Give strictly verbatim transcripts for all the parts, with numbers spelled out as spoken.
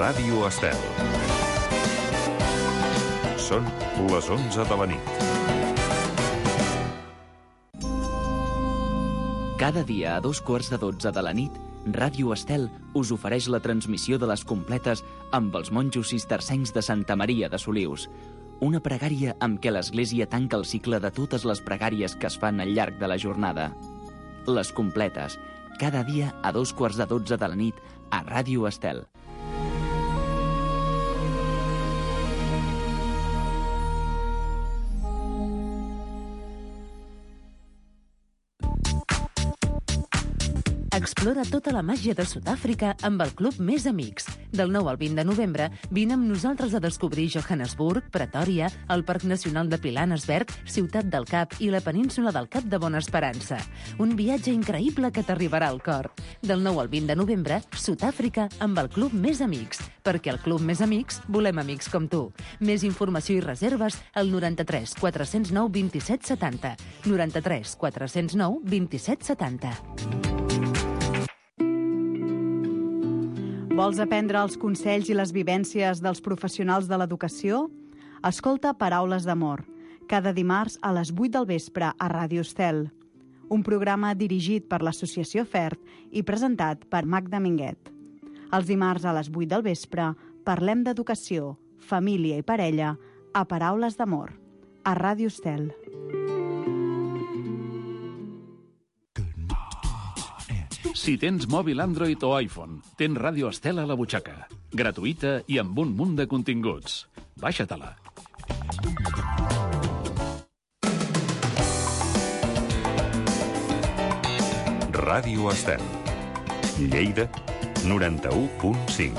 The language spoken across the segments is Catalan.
Ràdio Estel. Són les onze de la nit. Cada dia a dos quarts de dotze de la nit, Ràdio Estel us ofereix la transmissió de les completes amb els monjos cistercencs de Santa Maria de Solius. Una pregària amb què l'Església tanca el cicle de totes les pregàries que es fan al llarg de la jornada. Les completes, cada dia a dos quarts de dotze de la nit a Ràdio Estel. Explora tota la màgia de Sud-àfrica amb el Club Més Amics. Del nou al vint de novembre, vine amb nosaltres a descobrir Johannesburg, Pretòria, el Parc Nacional de Pilanesberg, Ciutat del Cap i la península del Cap de Bona Esperança. Un viatge increïble que t'arribarà al cor. Del nou al vint de novembre, Sud-àfrica amb el Club Més Amics. Perquè al Club Més Amics volem amics com tu. Més informació i reserves al noranta-tres quatre zero nou vint set setanta. noranta-tres quatre zero nou vint set setanta. Vols aprendre els consells i les vivències dels professionals de l'educació? Escolta Paraules d'Amor, cada dimarts a les vuit del vespre a Ràdio Estel. Un programa dirigit per l'Associació FERT i presentat per Magda Minguet. Els dimarts a les vuit del vespre parlem d'educació, família i parella a Paraules d'Amor, a Ràdio Estel. Si tens mòbil Android o iPhone, tens Ràdio Estel a la butxaca. Gratuïta i amb un munt de continguts. Baixa-te-la. Ràdio Estel. Lleida, noranta-u punt cinc.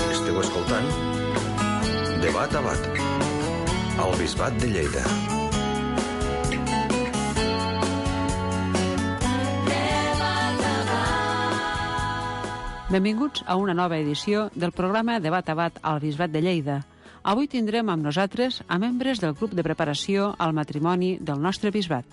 Esteu escoltant Debat a Bat, al Bisbat de Lleida. Benvinguts a una nova edició del programa Debat a Bat al Bisbat de Lleida. Avui tindrem amb nosaltres a membres del grup de preparació al matrimoni del nostre bisbat.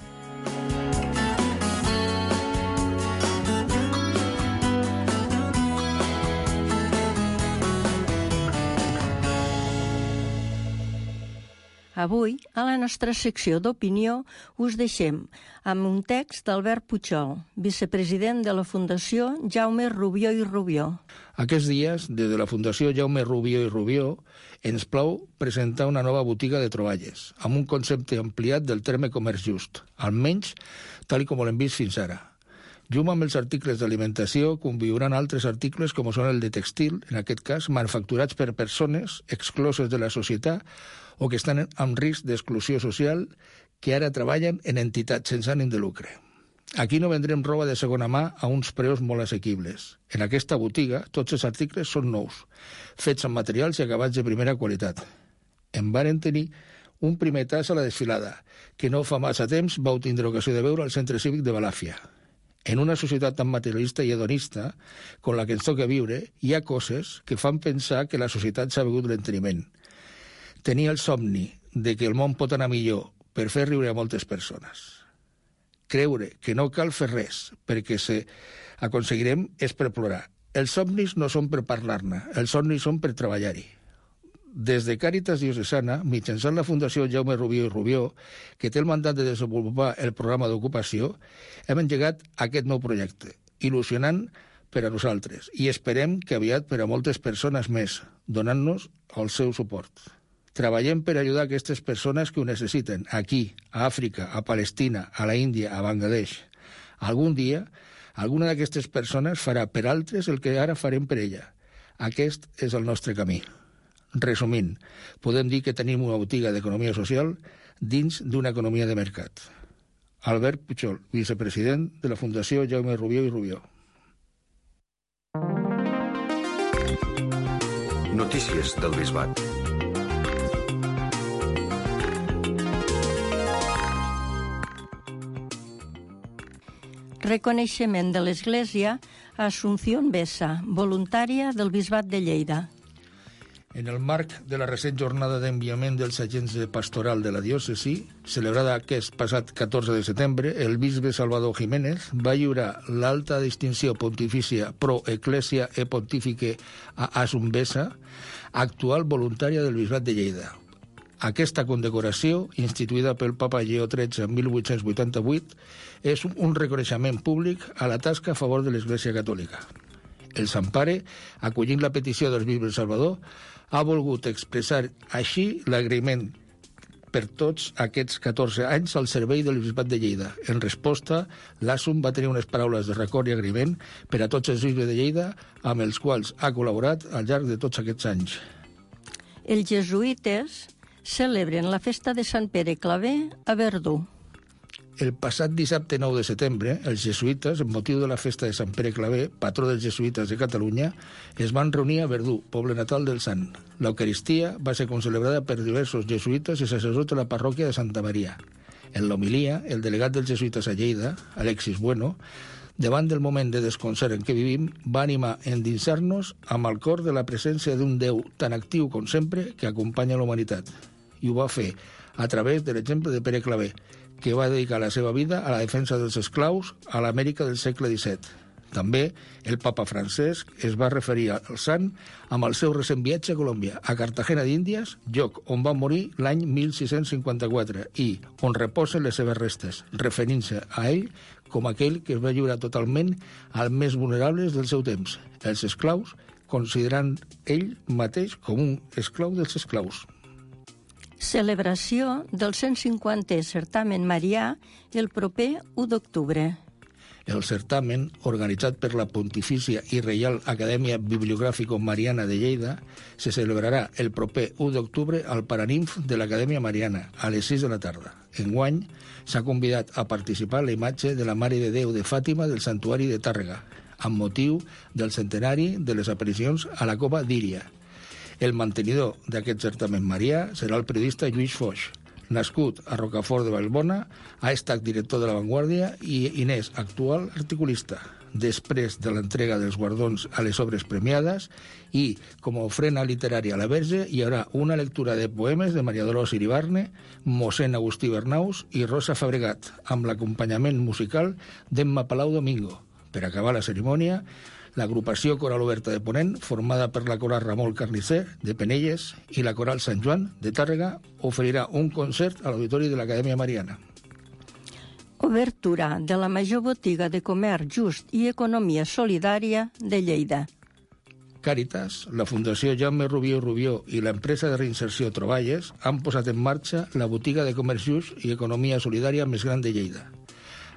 Avui, a la nostra secció d'opinió, us deixem amb un text d'Albert Pujol, vicepresident de la Fundació Jaume Rubió i Rubió. Aquests dies, des de la Fundació Jaume Rubió i Rubió, ens plau presentar una nova botiga de troballes, amb un concepte ampliat del terme comerç just, almenys tal com l'hem vist fins ara. Junt amb els articles d'alimentació conviuran altres articles com són el de textil, en aquest cas manufacturats per persones excloses de la societat o que estan en risc d'exclusió social, que ara treballen en entitats sense ànim de lucre. Aquí no vendrem roba de segona mà a uns preus molt assequibles. En aquesta botiga, tots els articles són nous, fets amb materials i acabats de primera qualitat. En varen tenir un primer tas a la desfilada, que no fa massa temps vau tindre ocasió de veure al Centre Cívic de Balàfia. En una societat tan materialista i hedonista com la que ens toca viure, hi ha coses que fan pensar que la societat s'ha begut l'enteniment. Tenir el somni de que el món pot anar millor per fer riure a moltes persones. Creure que no cal fer res perquè se aconseguirem és per plorar. Els somnis no són per parlar-ne, els somnis són per treballar-hi. Des de Càritas Diocesana, mitjançant la Fundació Jaume Rubió i Rubió, que té el mandat de desenvolupar el programa d'ocupació, hem engegat aquest nou projecte, il·lusionant per a nosaltres, i esperem que aviat per a moltes persones més, donant-nos el seu suport. Treballem per ajudar aquestes persones que ho necessiten, aquí, a Àfrica, a Palestina, a la Índia, a Bangladesh. Algun dia, alguna d'aquestes persones farà per altres el que ara farem per ella. Aquest és el nostre camí. Resumint, podem dir que tenim una botiga d'economia social dins d'una economia de mercat. Albert Pujol, vicepresident de la Fundació Jaume Rubió i Rubió. Notícies del Bisbat. Reconeixement de l'Església a Asunción Bessa, voluntària del Bisbat de Lleida. En el marc de la recent jornada d'enviament dels agents de pastoral de la diòcesi, celebrada aquest passat catorze de setembre, el bisbe Salvador Jiménez va lliurar l'alta distinció pontifícia pro Ecclesia e Pontifique a Asum Besa, actual voluntària del bisbat de Lleida. Aquesta condecoració, instituïda pel papa Lleó tretze en mil vuit-cents vuitanta-vuit, és un reconeixement públic a la tasca a favor de l'Església Catòlica. El Sant Pare, acollint la petició del bisbe Salvador, ha volgut expressar així l'agraïment per tots aquests catorze anys al servei del bisbat de Lleida. En resposta, l'Asum va tenir unes paraules de record i agraïment per a tots els bisbes de Lleida amb els quals ha col·laborat al llarg de tots aquests anys. Els jesuïtes celebren la festa de Sant Pere Claver a Verdú. El passat dissabte nou de setembre, els jesuïtes, en motiu de la festa de Sant Pere Claver, patró dels jesuïtes de Catalunya, es van reunir a Verdú, poble natal del sant. L'Eucaristia va ser concelebrada per diversos jesuïtes i sacerdots de la parròquia de Santa Maria. En l'homilia, el delegat dels jesuïtes a Lleida, Alexis Bueno, davant del moment de desconcert en què vivim, va animar a endinsar-nos amb el cor de la presència d'un Déu tan actiu com sempre que acompanya la humanitat. I ho va fer a través de l'exemple de Pere Claver, que va dedicar la seva vida a la defensa dels esclaus a l'Amèrica del segle disset. També el papa Francesc es va referir al sant amb el seu recent viatge a Colòmbia, a Cartagena d'Índies, lloc on va morir l'any mil sis-cents cinquanta-quatre i on reposen les seves restes, referint-se a ell com aquell que es va lliurar totalment als més vulnerables del seu temps, els esclaus, considerant ell mateix com un esclau dels esclaus. Celebració del cent cinquantè certamen marià el proper u d'octubre. El certamen, organitzat per la Pontifícia i Reial Acadèmia Bibliogràfico-Mariana de Lleida, se celebrarà el proper u d'octubre al Paraninf de l'Acadèmia Mariana, a les sis de la tarda. Enguany, s'ha convidat a participar la imatge de la Mare de Déu de Fàtima del Santuari de Tàrrega, amb motiu del centenari de les aparicions a la Cova d'Íria. El mantenidor d'aquest certamen marià serà el periodista Lluís Foix. Nascut a Rocafort de Vallbona, ha estat director de La Vanguardia i Inés, actual articulista. Després de l'entrega dels guardons a les obres premiades i, com a ofrena literària a la Verge, hi haurà una lectura de poemes de Maria Dolors Iribarne, mossèn Agustí Bernaus i Rosa Fabregat, amb l'acompanyament musical d'Emma Palau Domingo. Per acabar la cerimònia, l'agrupació Coral Oberta de Ponent, formada per la Coral Ramon Carnisser, de Penelles, i la Coral Sant Joan, de Tàrrega, oferirà un concert a l'Auditori de l'Acadèmia Mariana. Obertura de la major botiga de comerç just i economia solidària de Lleida. Càritas, la Fundació Jaume Rubió i Rubió i l'empresa de reinserció Troballes han posat en marxa la botiga de comerç just i economia solidària més gran de Lleida.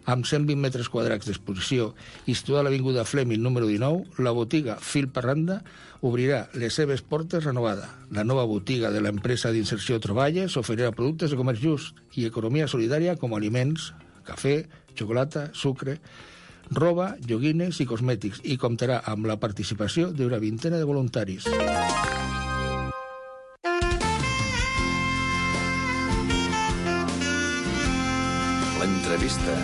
Amb cent vint metres quadrats d'exposició i situada a l'Avinguda Fleming número dinou, la botiga Fil Parranda obrirà les seves portes renovada. La nova botiga de l'empresa d'inserció Troballes oferirà productes de comerç just i economia solidària com aliments, cafè, xocolata, sucre, roba, joguines i cosmètics i comptarà amb la participació d'una vintena de voluntaris. L'entrevista.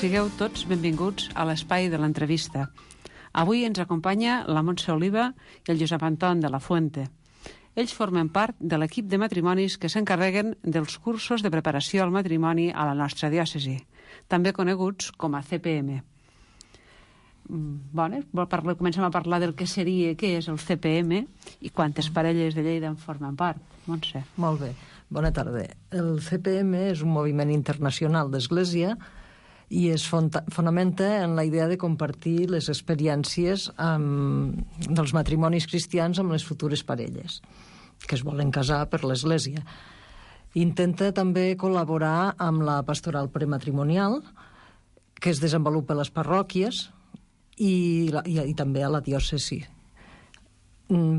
Sigueu tots benvinguts a l'espai de l'entrevista. Avui ens acompanya la Montse Oliva i el Josep Anton de la Fuente. Ells formen part de l'equip de matrimonis que s'encarreguen dels cursos de preparació al matrimoni a la nostra diòcesi, també coneguts com a C P M. Bueno, comencem a parlar del que seria, què és el C P M i quantes parelles de Lleida en formen part. Montse. Molt bé, bona tarda. El C P M és un moviment internacional d'Església i es fonamenta en la idea de compartir les experiències amb, dels matrimonis cristians amb les futures parelles que es volen casar per l'Església. Intenta també col·laborar amb la pastoral prematrimonial que es desenvolupa a les parròquies i, la, i, i també a la diòcesi.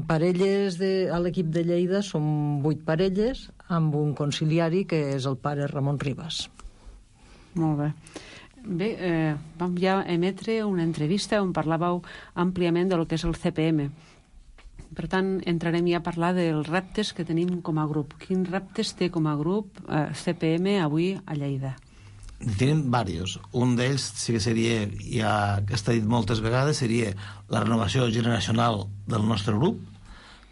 Parelles de, a l'equip de Lleida són vuit parelles amb un conciliari que és el pare Ramon Ribas. Molt bé. Bé, eh, vam ja emetre una entrevista on parlàveu àmpliament del que és el C P M. Per tant, entrarem ja a parlar dels reptes que tenim com a grup. Quins reptes té com a grup eh, C P M avui a Lleida? Tenim diversos. Un d'ells sí que seria, ja que està dit moltes vegades, seria la renovació generacional del nostre grup,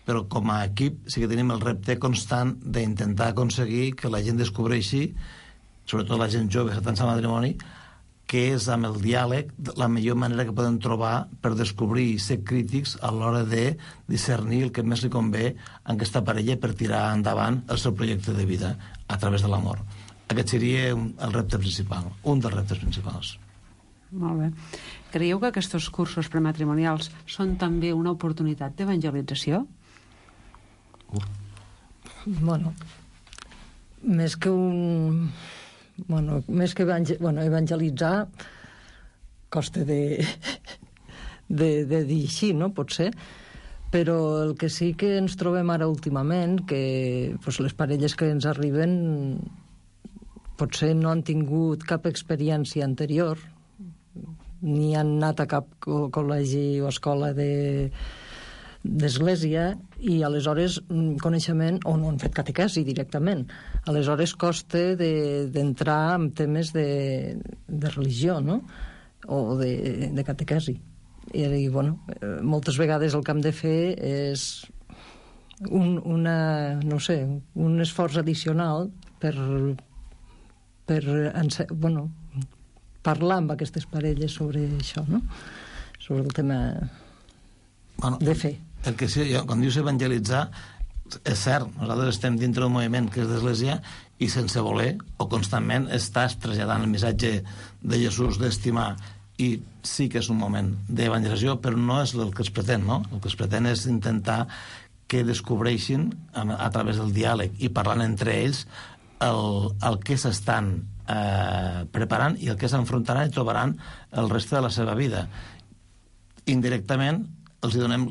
però com a equip sí que tenim el repte constant d'intentar aconseguir que la gent descobreixi, sobretot la gent jove que està en matrimoni, que és amb el diàleg la millor manera que podem trobar per descobrir i ser crítics a l'hora de discernir el que més li convé a aquesta parella per tirar endavant el seu projecte de vida a través de l'amor. Aquest seria el repte principal, un dels reptes principals. Molt bé. Creieu que aquests cursos prematrimonials són també una oportunitat d'evangelització? Bueno, més que un... Bueno, més que evangel... bueno, evangelitzar costa de... de, de dir així, no? Potser. Però el que sí que ens trobem ara últimament, que pues, les parelles que ens arriben potser no han tingut cap experiència anterior, ni han anat a cap col·legi o escola de... d'església, i aleshores coneixement, o no han fet catequesi directament. Aleshores costa d'entrar de, en temes de, de religió, no? O de, de catequesi. I, i bueno, moltes vegades el que hem de fer és un, una, no sé, un esforç addicional per, per bueno, parlar amb aquestes parelles sobre això, no? Sobre el tema bueno, de fe. El que sí, quan dius evangelitzar, és cert, nosaltres estem dintre d'un moviment que és d'Església i sense voler o constantment estàs traslladant el missatge de Jesús d'estimar, i sí que és un moment d'evangelització, però no és el que es pretén, no? El que es pretén és intentar que descobreixin a, a través del diàleg i parlant entre ells el, el que s'estan eh, preparant i el que s'enfrontaran i trobaran el reste de la seva vida. Indirectament els donem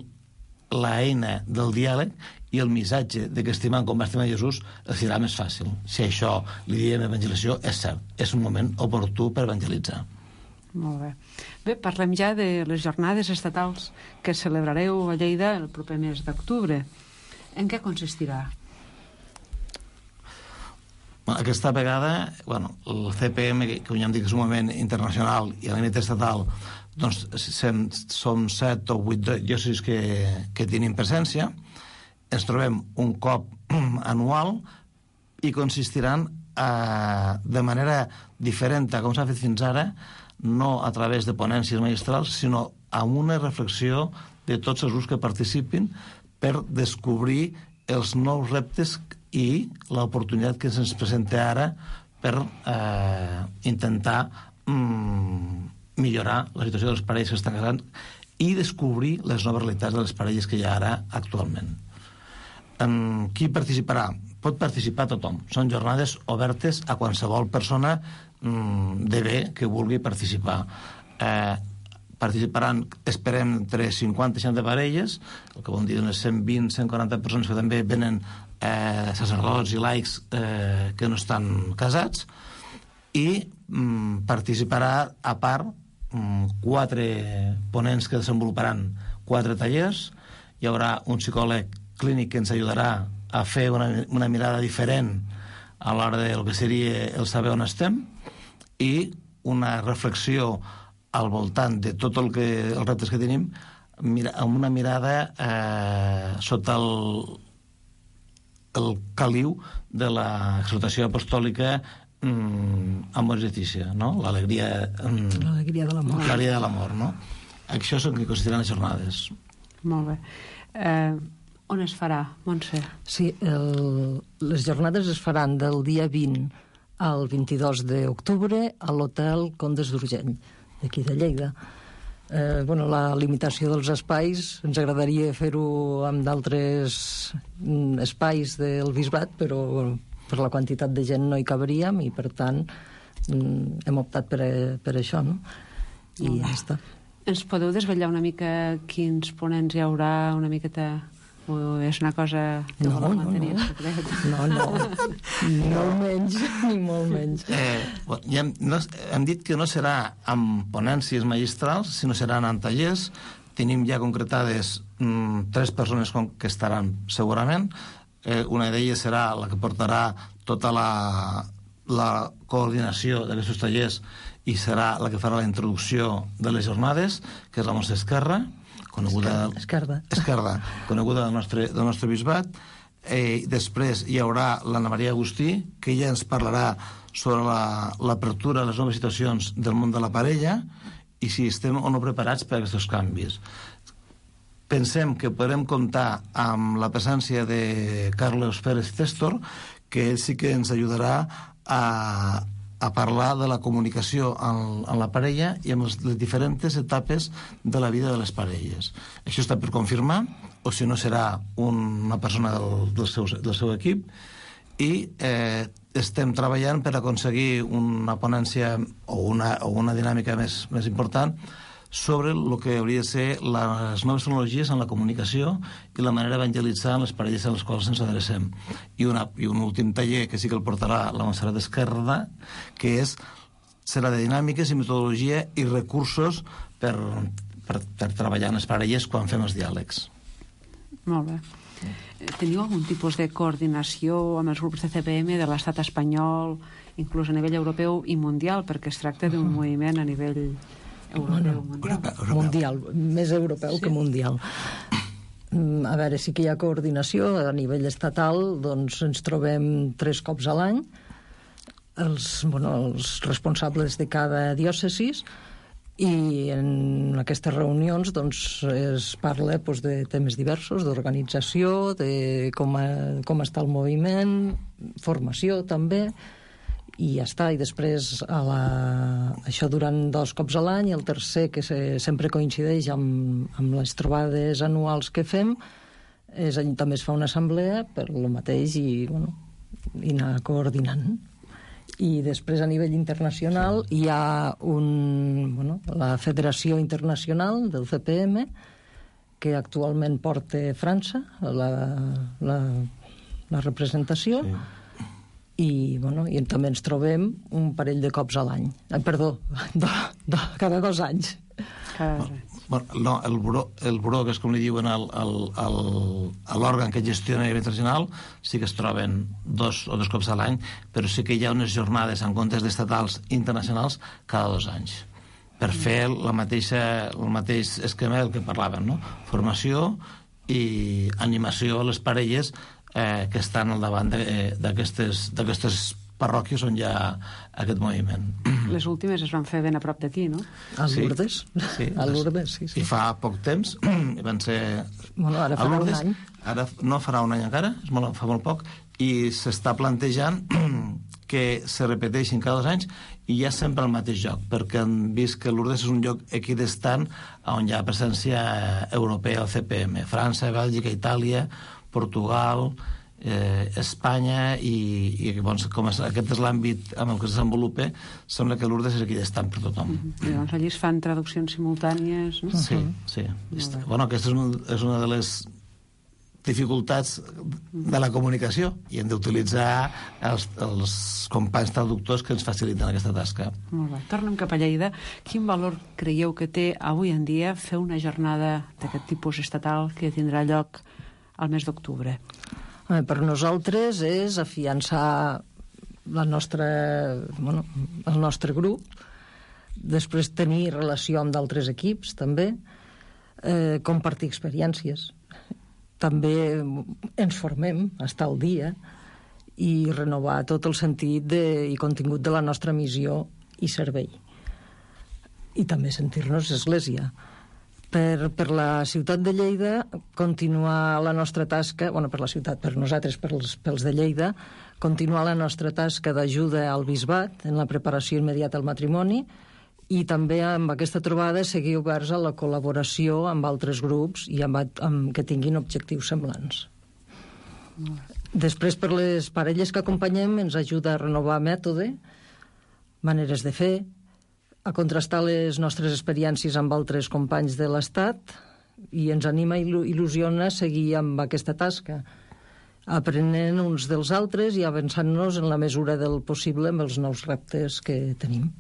la eina del diàleg i el missatge de que estimant com va estimar Jesús els serà més fàcil. Si això li diem evangelizació, és cert, és un moment oportú per evangelitzar. Molt bé. Bé, parlem ja de les jornades estatals que celebrareu a Lleida el proper mes d'octubre. En què consistirà? Aquesta vegada, bueno, el C P M, que ja hem dit que és un moviment internacional, i a la nivell estatal, doncs som set o vuit diòcesis que, que tenim presència. Ens trobem un cop anual i consistiran eh, de manera diferent a com s'ha fet fins ara, no a través de ponències magistrals, sinó amb una reflexió de tots els grups que participin per descobrir els nous reptes i l'oportunitat que se'ns presenta ara per eh, intentar mm, millorar la situació dels parelles que estan casant i descobrir les noves realitats de les parelles que hi ha ara actualment. En qui participarà? Pot participar tothom. Són jornades obertes a qualsevol persona mm, de bé que vulgui participar. Eh, participaran, esperem, entre cinquanta i seixanta parelles, el que vol dir unes cent vint a cent quaranta persones que també venen eh, sacerdots i laics eh, que no estan casats, i mm, participarà a part mm, quatre ponents que desenvoluparan quatre tallers. Hi haurà un psicòleg clínic que ens ajudarà a fer una, una mirada diferent a l'hora del que seria el saber on estem, i una reflexió al voltant de tot el que els reptes que tenim, mira, amb una mirada eh, sota el, el caliu de l'exhortació apostòlica mm, Amoris Laetitia, no? L'alegria mm, l'alegria de l'amor. L'alegria de l'amor, no? Això és el que consideren les jornades. Molt bé. Eh, on es farà, Montse? Sí, el, les jornades es faran del dia vint al vint-i-dos d'octubre a l'Hotel Condes d'Urgell, d'aquí de Lleida. Eh, bueno, la limitació dels espais, ens agradaria fer-ho amb d'altres mm, espais del bisbat, però bueno, per la quantitat de gent no hi cabríem i, per tant, mm, hem optat per, per això, no? I ja està. Ens podeu desvetllar una mica quins ponents hi haurà, una miqueta... o és una cosa que no, voleu no, mantenir no. secret? No, no, ni molt menys, ni molt menys. Eh, bueno, ja hem, no, hem dit que no serà amb ponències magistrals, sinó seran en tallers. Tenim ja concretades mm, tres persones que estaran segurament. Eh, una d'elles serà la que portarà tota la, la coordinació d'aquests tallers i serà la que farà la introducció de les jornades, que és la Montse Esquerra, coneguda, Esquerda. Esquerda, coneguda del nostre, del nostre bisbat. Eh, després hi haurà l'Anna Maria Agustí, que ja ens parlarà sobre l'apertura la, a les noves situacions del món de la parella i si estem o no preparats per a aquests canvis. Pensem que podrem comptar amb la presència de Carlos Pérez Testor, que ell sí que ens ajudarà a, a parlar de la comunicació en, en la parella i amb les, les diferents etapes de la vida de les parelles. Això està per confirmar, o si no serà un, una persona del, del, seu, del seu equip, i eh, estem treballant per aconseguir una ponència o una, o una dinàmica més, més important sobre el que hauria de ser les noves tecnologies en la comunicació i la manera d'evangelitzar les parelles a les quals ens adrecem. I, una, i un últim taller que sí que el portarà la Montserrat Esquerda, que és, serà de dinàmiques i metodologia i recursos per, per, per treballar en les parelles quan fem els diàlegs. Molt bé. Teniu algun tipus de coordinació amb els grups de C P M de l'estat espanyol, inclús a nivell europeu i mundial, perquè es tracta d'un uh-huh. moviment a nivell europeu, bueno, mundial. Europeu, mundial, més europeu sí. que mundial. A veure, sí que hi ha coordinació a nivell estatal, doncs ens trobem tres cops a l'any, els, bueno, els responsables de cada diòcesis, i en aquestes reunions doncs, es parla doncs, de temes diversos, d'organització, de com, a, com està el moviment, formació també, i ja està. I després a la... això durant dos cops a l'any, i el tercer, que se, sempre coincideix amb, amb les trobades anuals que fem, és, també es fa una assemblea per lo mateix i, bueno, i anar coordinant. I després a nivell internacional hi ha un, bueno, la Federació Internacional del C P M, que actualment porta França, la, la, la representació, sí. i, bueno, i també ens trobem un parell de cops a l'any. Eh, perdó, do, do, cada dos anys. Cada dos anys. Bueno, no, el buró, el buró, que és com li diuen l'òrgan que gestiona a nivell internacional, sí que es troben dos o dos cops a l'any, però sí que hi ha unes jornades en comptes d'estatals internacionals cada dos anys, per fer la mateixa, el mateix esquema del que parlaven, no? Formació i animació a les parelles eh, que estan al davant d'aquestes parròquies on hi ha aquest moviment. Les últimes es van fer ben a prop d'aquí, no? A Lourdes. Sí, sí, a Lourdes, sí, sí. I fa poc temps van ser... Bueno, ara farà un any. Ara no farà un any encara, és molt, fa molt poc, i s'està plantejant que se repeteixin cada dos anys i hi ha sempre el mateix lloc, perquè han vist que Lourdes és un lloc equidistant on hi ha presència europea al C P M. França, Bèlgica, Itàlia, Portugal... Eh, Espanya i, i doncs, com és, aquest és l'àmbit amb el que es desenvolupa, sembla que Lourdes és equidistant per tothom. Mm-hmm. I doncs allí es fan traduccions simultànies, no? Sí, sí. Mm-hmm. Bueno, aquesta és, un, és una de les dificultats de la comunicació i hem d'utilitzar els, els companys traductors que ens faciliten aquesta tasca. Molt bé. Tornem cap a Lleida. Quin valor creieu que té avui en dia fer una jornada d'aquest tipus estatal que tindrà lloc al mes d'octubre? Per nosaltres és afiançar la nostra, bueno, el nostre grup, després tenir relació amb d'altres equips, també, eh, compartir experiències. També ens formem, estar al dia, i renovar tot el sentit de, i contingut de la nostra missió i servei. I també sentir-nos església. Per, per la ciutat de Lleida, continuar la nostra tasca, bueno, per la ciutat, per nosaltres, pels, pels de Lleida, continuar la nostra tasca d'ajuda al bisbat en la preparació immediata al matrimoni i també amb aquesta trobada seguir oberts a la col·laboració amb altres grups i amb, amb que tinguin objectius semblants. Després, per les parelles que acompanyem, ens ajuda a renovar mètode, maneres de fer, a contrastar les nostres experiències amb altres companys de l'Estat i ens anima i il·lusiona seguir amb aquesta tasca, aprenent uns dels altres i avançant-nos en la mesura del possible amb els nous reptes que tenim.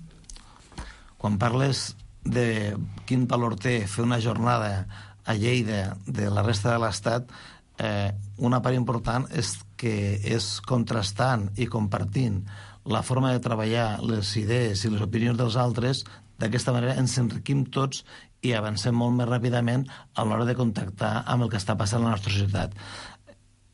Quan parles de quin valor té fer una jornada a Lleida de la resta de l'Estat, eh, una part important és que és contrastant i compartint la forma de treballar, les idees i les opinions dels altres, d'aquesta manera ens enriquim tots i avancem molt més ràpidament a l'hora de contactar amb el que està passant a la nostra societat.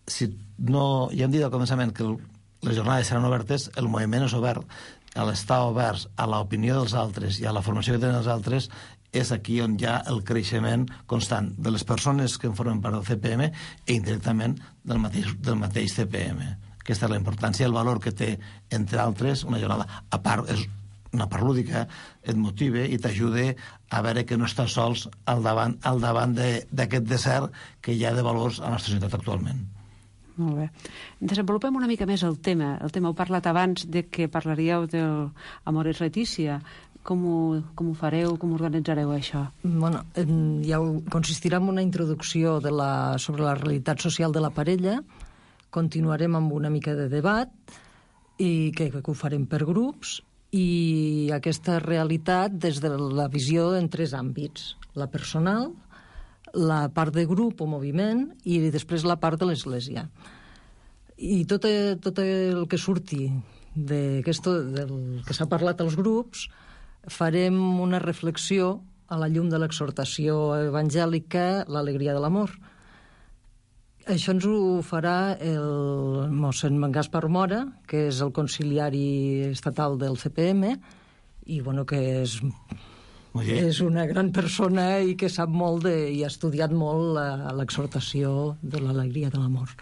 Si no, ja hem dit al començament que el, les jornades seran obertes, el moviment és obert. A l'estar oberts a l'opinió dels altres i a la formació que tenen els altres és aquí on hi ha el creixement constant de les persones que en formen part del C P M i indirectament del mateix, del mateix C P M. Aquesta és la importància i el valor que té, entre altres, una jornada. A part, és una part lúdica, et motiva i t'ajuda a veure que no estàs sols al davant, al davant d'aquest desert que hi ha de valors a la nostra societat actualment. Molt bé. Desenvolupem una mica més el tema. El tema heu parlat abans de que parlaríeu del Amores Letícia. Com ho, com ho fareu, com organitzareu això? Bueno, ja consistirà en una introducció de la, sobre la realitat social de la parella, continuarem amb una mica de debat, i que, que ho farem per grups, i aquesta realitat des de la visió en tres àmbits: la personal, la part de grup o moviment i després la part de l'Església. I tot, tot el que surti d'aquesto, del que s'ha parlat als grups, farem una reflexió a la llum de l'exhortació evangèlica, l'alegria de l'amor. Això ens ho farà el mossèn Gaspar Mora, que és el conciliari estatal del C P M, i bueno, que és, és una gran persona i que sap molt de, i ha estudiat molt l'exhortació de l'alegria de l'amor.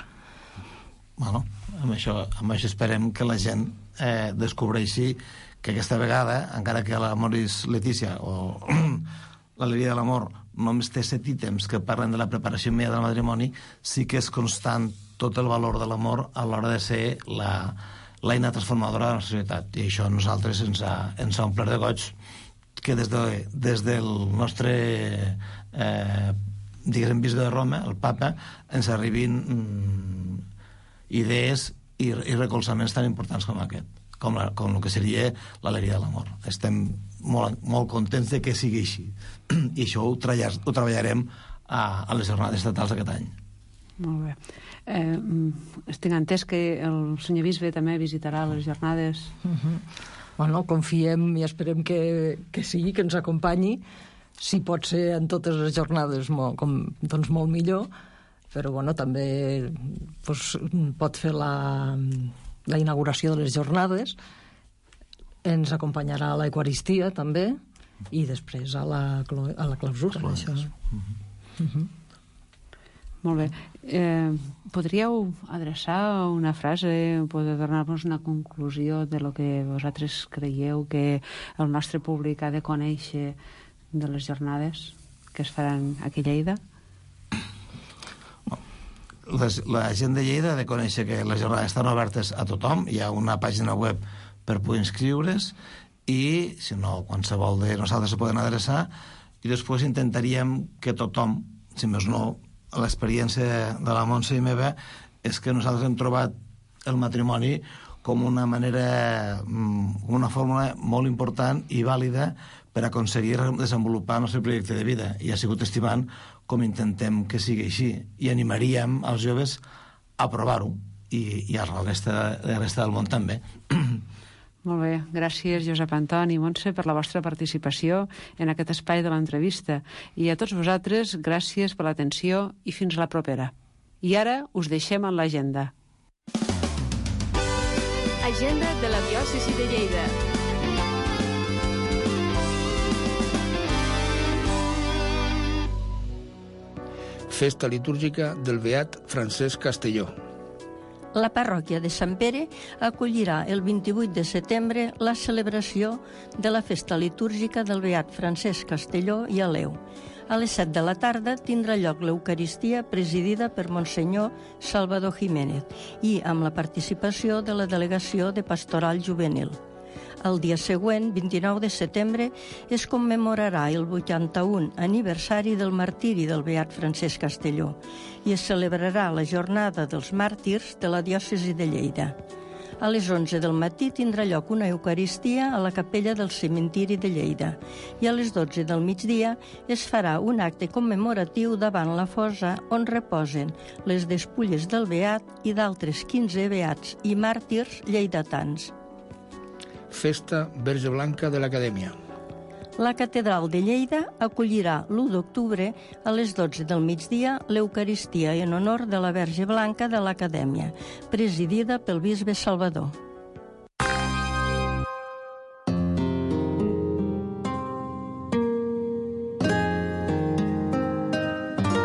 Bueno, amb això, amb això esperem que la gent eh, descobreixi que aquesta vegada, encara que l'Amoris Letícia o l'alegria de l'amor només té set ítems que parlen de la preparació immediata del matrimoni, sí que és constant tot el valor de l'amor a l'hora de ser la, l'eina transformadora de la societat. I això a nosaltres ens ha, ens ha omplert de goig que des, de, des del nostre eh, diguéssim bisbe de Roma, el papa, ens arribin mm, idees i, i recolzaments tan importants com aquest, com, la, com el que seria l'alegria de l'amor. Estem molt, molt contents de que sigui així. I això ho, treballar, ho treballarem a, a les jornades estatals aquest any. Molt bé. Eh, estic entès que el senyor bisbe també visitarà les jornades. Uh-huh. Bueno, confiem i esperem que, que sigui, que ens acompanyi. Si pot ser en totes les jornades, molt, com, doncs molt millor, però bueno, també doncs, pot fer la, la inauguració de les jornades. Ens acompanyarà a l'Eucaristia, també, i després a la, a la clausura. Això. Uh-huh. Uh-huh. Molt bé. Eh, podríeu adreçar una frase, podeu donar-nos una conclusió de lo que vosaltres creieu que el nostre públic ha de conèixer de les jornades que es faran aquí a Lleida? Les, la gent de Lleida ha de conèixer que les jornades estan obertes a tothom. Hi ha una pàgina web per poder inscriure's i, si no, qualsevol de nosaltres se poden adreçar, i després intentaríem que tothom, si més no, l'experiència de la Montse i meva és que nosaltres hem trobat el matrimoni com una manera, una fórmula molt important i vàlida per aconseguir desenvolupar el nostre projecte de vida, i ha sigut estimant com intentem que sigui així, i animaríem als joves a provar-ho i, i a la resta, la resta del món també. Molt bé, gràcies Josep Anton i Montse per la vostra participació en aquest espai de l'entrevista. I a tots vosaltres, gràcies per l'atenció i fins a la propera. I ara us deixem en l'agenda. Agenda de la diòcesi de Lleida. Festa litúrgica del beat Francesc Castelló. La parròquia de Sant Pere acollirà el vint-i-vuit de setembre la celebració de la festa litúrgica del beat Francesc Castelló i Aleu. A les set de la tarda tindrà lloc l'Eucaristia presidida per Monsenyor Salvador Jiménez i amb la participació de la Delegació de Pastoral Juvenil. El dia següent, vint-i-nou de setembre, es commemorarà el vuitanta-un aniversari del martiri del beat Francesc Castelló i es celebrarà la jornada dels màrtirs de la diòcesi de Lleida. A les onze del matí tindrà lloc una eucaristia a la capella del cementiri de Lleida i a les dotze del migdia es farà un acte commemoratiu davant la fossa on reposen les despulles del beat i d'altres quinze beats i màrtirs lleidatans. Festa Verge Blanca de l'Acadèmia. La Catedral de Lleida acollirà l'u d'octubre a les dotze del migdia l'Eucaristia en honor de la Verge Blanca de l'Acadèmia, presidida pel bisbe Salvador.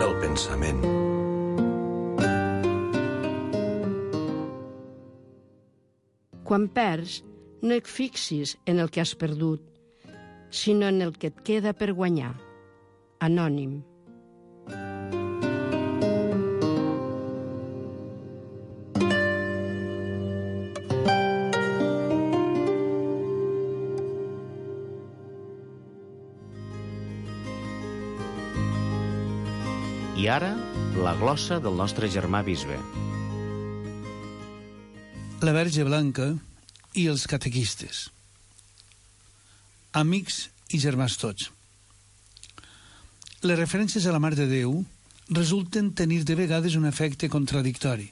El pensament. Quan perds, no et fixis en el que has perdut, sinó en el que et queda per guanyar. Anònim. I ara, la glossa del nostre germà bisbe. La Verge Blanca i els catequistes. Amics i germans tots. Les referències a la Mare de Déu resulten tenir de vegades un efecte contradictori.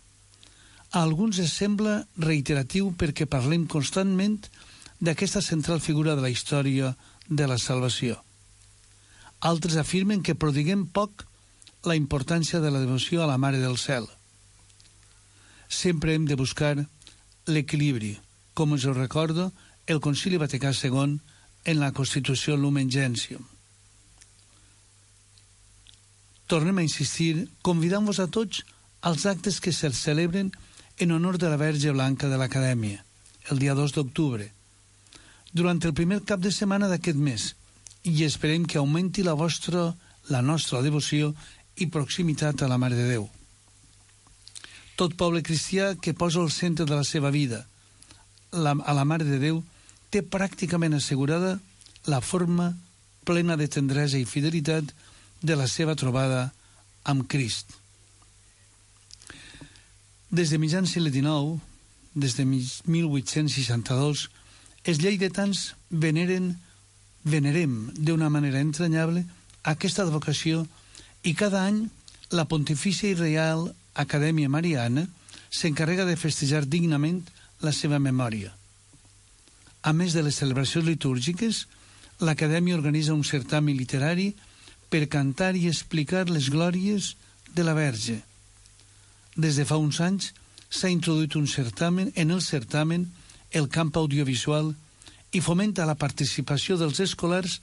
A alguns es sembla reiteratiu perquè parlem constantment d'aquesta central figura de la història de la salvació. Altres afirmen que prodiguem poc la importància de la devoció a la Mare del Cel. Sempre hem de buscar l'equilibri, com ens ho recorda el Concili Vaticà segon en la Constitució Lumen Gentium. Tornem a insistir, convidant-vos a tots als actes que se celebren en honor de la Verge Blanca de l'Acadèmia, el dia dos d'octubre, durant el primer cap de setmana d'aquest mes, i esperem que augmenti la vostra, la nostra devoció i proximitat a la Mare de Déu. Tot poble cristià que posa al centre de la seva vida la, a la Mare de Déu té pràcticament assegurada la forma plena de tendresa i fidelitat de la seva trobada amb Crist. Des de mitjan segle dinou, des de mil vuit-cents seixanta-dos, els lleidatans veneren, venerem d'una manera entranyable aquesta advocació i cada any la Pontifícia i Reial Acadèmia Mariana s'encarrega de festejar dignament la seva memòria. A més de les celebracions litúrgiques, l'Acadèmia organitza un certamen literari per cantar i explicar les glòries de la Verge. Des de fa uns anys s'ha introduït un certamen, en el certamen el camp audiovisual i fomenta la participació dels escolars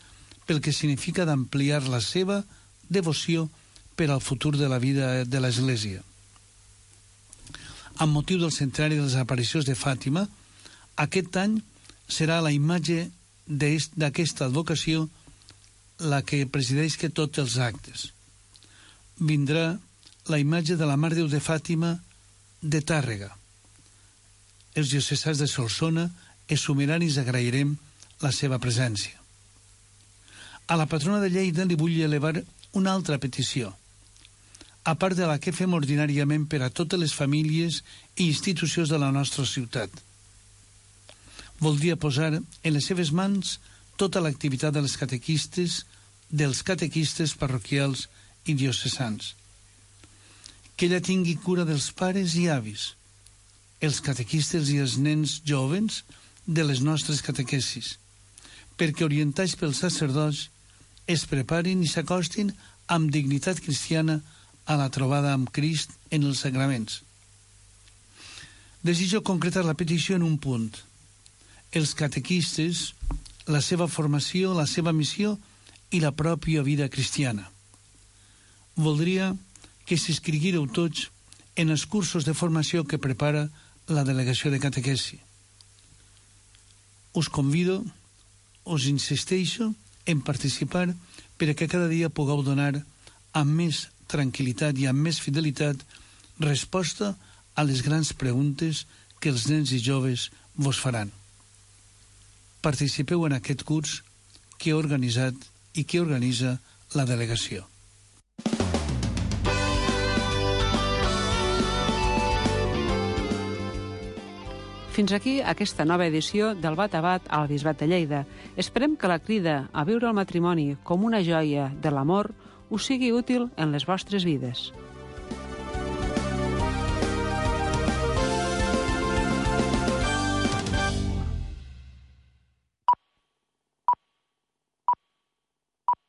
pel que significa d'ampliar la seva devoció per al futur de la vida de l'Església. Amb motiu del centenari de les aparicions de Fàtima, aquest any serà la imatge d'aquesta advocació la que presideix que tots els actes. Vindrà la imatge de la Mare de Déu de Fàtima de Tàrrega. Els diocesans de Solsona es sumiran i agrairem la seva presència. A la patrona de Lleida li vull elevar una altra petició, a part de la que fem ordinàriament per a totes les famílies i institucions de la nostra ciutat. Voldria posar en les seves mans tota l'activitat dels catequistes, dels catequistes parroquials i diocesans. Que ella tingui cura dels pares i avis, els catequistes i els nens jovens de les nostres catequesis, perquè orientats pels sacerdots es preparin i s'acostin amb dignitat cristiana a la trobada amb Crist en els sagraments. Desitjo concretar la petició en un punt. Els catequistes, la seva formació, la seva missió i la pròpia vida cristiana. Voldria que s'inscriguíreu tots en els cursos de formació que prepara la delegació de catequesi. Us convido, us insisteixo en participar perquè cada dia pugueu donar amb més tranquil·litat i amb més fidelitat resposta a les grans preguntes que els nens i joves vos faran. Participeu en aquest curs que he organitzat i que organitza la delegació. Fins aquí aquesta nova edició del Bat a Bat al Bisbat de Lleida. Esperem que la crida a viure el matrimoni com una joia de l'amor us sigui útil en les vostres vides.